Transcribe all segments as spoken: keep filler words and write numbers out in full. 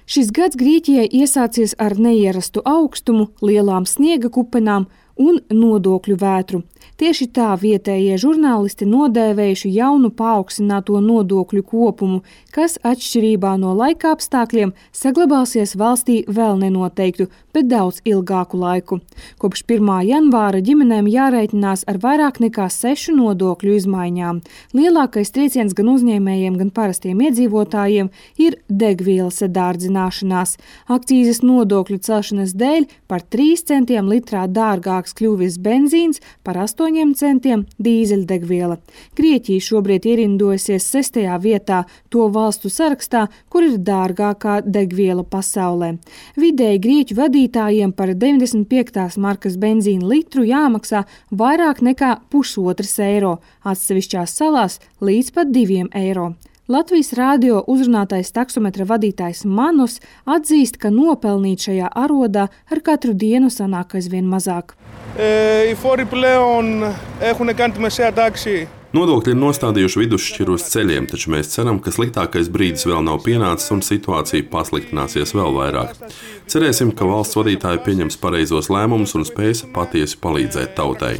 Šis gads Grieķijai iesācies ar neierastu augstumu, lielām sniega kupenām un nodokļu vētru. Tieši tā vietējie žurnālisti nodēvējuši jaunu paaugstināto nodokļu kopumu, kas atšķirībā no laika apstākļiem saglabāsies valstī vēl nenoteiktu, bet daudz ilgāku laiku. Kopš pirmā janvāra ģimenēm jārēķinās ar vairāk nekā sešu nodokļu izmaiņām. Lielākais trieciens gan uzņēmējiem, gan parastiem iedzīvotājiem ir degvielas dārdzināšanās. Akcīzes nodokļu celšanas dēļ par trīs centiem litrā dārgāks kļuvis benzīns, par astoņiem centiem dīzeļdegviela. Grieķija šobrīd ierindojusies sestajā vietā to valstu sarakstā, kur ir dārgākā degviela pasaulē. Vidēji grieķu vadītājiem par deviņdesmit piektās markas benzīna litru jāmaksā vairāk nekā pusotras eiro, atsevišķās salās līdz pat diviem eiro. Latvijas rādio uzrunātais taksometra vadītājs Manos atzīst, ka nopelnīt šajā arodā ar katru dienu sanāk aizvien mazāk. Ε, οι φόροι πλέον έχουν κάνει τη μεσαία τάξη. Nodokļi ir nostādījuši vidusšķiru uz ceļiem, taču mēs ceram, ka sliktākais brīdis vēl nav pienācis un situācija pasliktināsies vēl vairāk. Cerēsim, ka valsts vadītāji pieņems pareizos lēmumus un spēs patiesi palīdzēt tautai.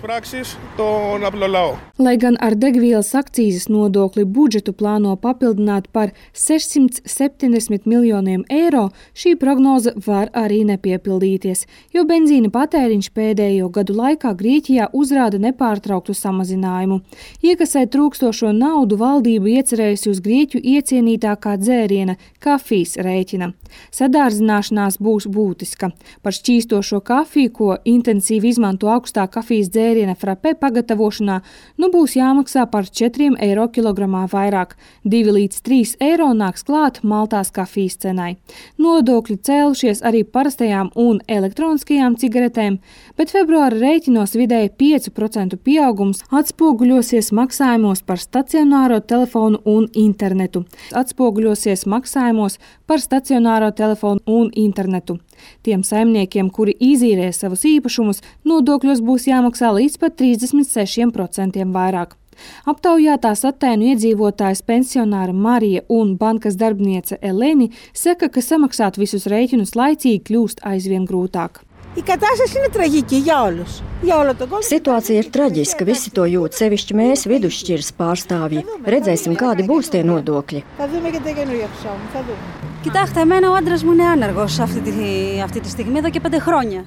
Lai gan ar degvielas akcīzes nodokli budžetu plāno papildināt par sešsimt septiņdesmit miljoniem eiro, šī prognoze var arī nepiepildīties, jo benzīna patēriņš pēdējo gadu laikā Grieķijā uzrāda nepārtrauktu samazinājumu. Iekasēt trūkstošo naudu valdība iecerējusi uz Grieķu iecienītākā dzēriena kafijas rēķina. Sadārdzināšanās būs būtiska. Par šķīstošo kafiju, ko intensīvi izmanto augstā kafijas dzēriena frappē pagatavošanā, nu būs jāmaksā par četriem eiro kilogramā vairāk. divi līdz trīs eiro nāks klāt maltās kafijas cenai. Nodokļi cēlušies arī parastajām un elektroniskajām cigaretēm, bet februāra rēķinos vidēji pieci procenti pieaugums atspoguļosies maksājumos par stacionāro telefonu un internetu. Atspoguļosies maksājumos par stacionāro telefonu un internetu. Tiem saimniekiem, kuri izīrē savus īpašumus, nodokļos būs jāmaksā līdz pat trīsdesmit sešiem procentiem vairāk. Aptaujātās Atēnu iedzīvotājas pensionāra Marija un bankas darbiniece Eleni saka, ka samaksāt visus rēķinus laicīgi kļūst aizvien grūtāk. Situācija ir traģiska, visi to jūt, sevišķi mēs, vidusšķiras pārstāvji. Redzēsim, kādi būs tie nodokļi.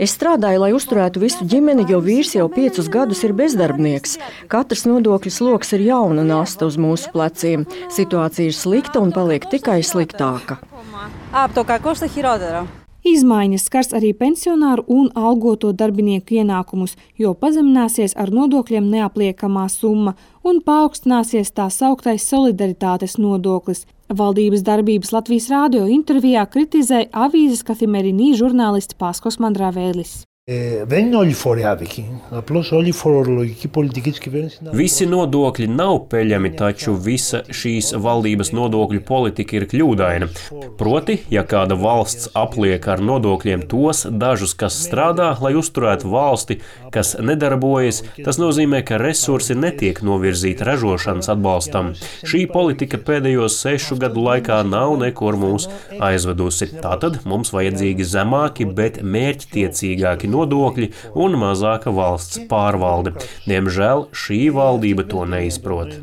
Es strādāju, lai uzturētu visu ģimeni, jo vīrs jau piecus gadus ir bezdarbnieks. Katrs nodokļu sloks ir jauna nasta uz mūsu pleciem. Situācija ir slikta un paliek tikai sliktāka. Izmaiņas skars arī pensionāru un algoto darbinieku ienākumus, jo pazemināsies ar nodokļiem neapliekamā summa un paaugstināsies tā sauktais solidaritātes nodoklis. Valdības darbības Latvijas rādio intervijā kritizēja avīzes Kafimerīnī žurnālists Paskos Mandrāvēlis. Δεν είναι όλοι οι φόροι άδικοι. Απλώς όλη η φορολογική πολιτική της κυβέρνησης είναι... Visi nodokļi nav peļami, taču visa šīs valdības nodokļu politika ir kļūdaina. Proti, ja kāda valsts apliek ar nodokļiem tos dažus, kas strādā, lai uzturētu valsti, kas nedarbojas, tas nozīmē, ka resursi netiek novirzīti ražošanas atbalstam. Šī politika pēdējos sešu gadu laikā nav nekur mūs aizvedusi. Tātad mums vajadzīgi zemāki, bet mērķtiecīgāki nodokļi un mazāka valsts pārvalde. Diemžēl šī valdība to neizprot.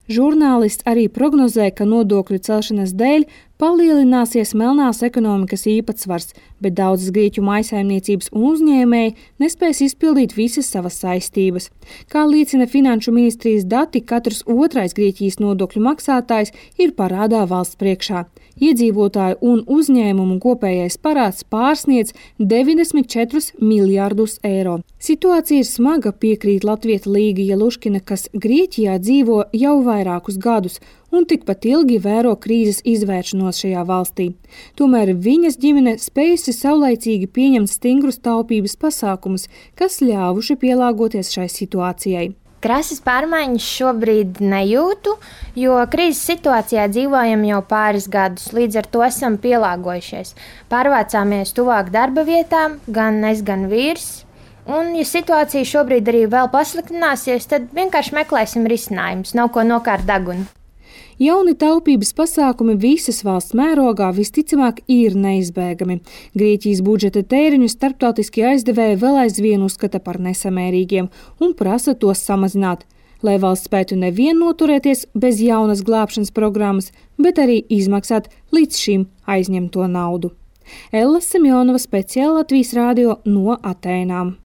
Žurnālists arī prognozē, ka nodokļu celšanas dēļ palielināsies melnās ekonomikas īpatsvars, bet daudzas grieķu mājsaimniecības un uzņēmēji nespēs izpildīt visas savas saistības. Kā liecina Finanšu ministrijas dati, katrs otrais Grieķijas nodokļu maksātājs ir parādā valsts priekšā. Iedzīvotāju un uzņēmumu kopējais parāds pārsniedz deviņdesmit četrus miljārdus eiro. Situācija ir smaga, piekrīt latvieta Līga Jeluškina, kas Grieķijā dzīvo jau vairākus gadus un tikpat ilgi vēro krīzes izvēršanos šajā valstī. Tomēr viņas ģimene spējusi saulaicīgi pieņemt stingrus taupības pasākumus, kas ļāvuši pielāgoties šai situācijai. Krasas pārmaiņas šobrīd nejūtu, jo krīzes situācijā dzīvojam jau pāris gadus, līdz ar to esam pielāgojušies. Pārvācāmies tuvāk darba vietām, gan es, gan vīrs. Un, ja situācija šobrīd arī vēl pasliktināsies, tad vienkārši meklēsim risinājumus, nav ko nokārt degunu. Jauni taupības pasākumi visas valsts mērogā visticamāk ir neizbēgami. Grieķijas budžeta tēriņus starptautiskie aizdevēji vēl aizvien uzskata par nesamērīgiem un prasa tos samazināt, lai valsts spētu nevien noturēties bez jaunas glābšanas programmas, bet arī izmaksāt līdz šim aizņemto naudu. Ella Semjonova, speciāli Latvijas radio no Atēnām.